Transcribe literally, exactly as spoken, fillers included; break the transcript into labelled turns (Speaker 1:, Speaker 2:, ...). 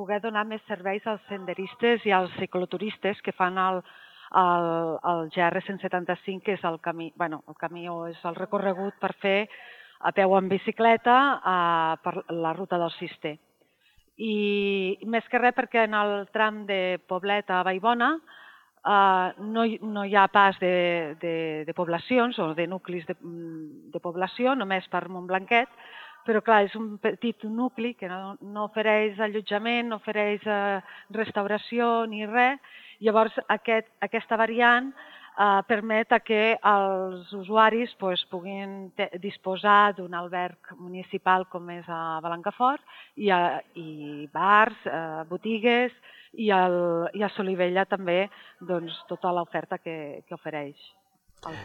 Speaker 1: poder donar més serveis als senderistes i als cicloturistes que fan el, el, el G R cent setanta-cinc, que és el camí, bueno, el camí o és el recorregut per fer a peu en bicicleta eh, per la ruta del Cister. I més que res perquè en el tram de Poblet a Vallbona Uh, no, hi, no hi ha pas de, de, de poblacions o de nuclis de, de població, només per Montblanquet, però clar, és un petit nucli que no, no ofereix allotjament, no ofereix uh, restauració ni res. Llavors aquest, aquesta variant uh, permet que els usuaris pues, puguin disposar d'un alberg municipal com és a Blancafort i, a, i bars, uh, botigues, i, el, i a Solivella també doncs, tota l'oferta que, que ofereix el poble.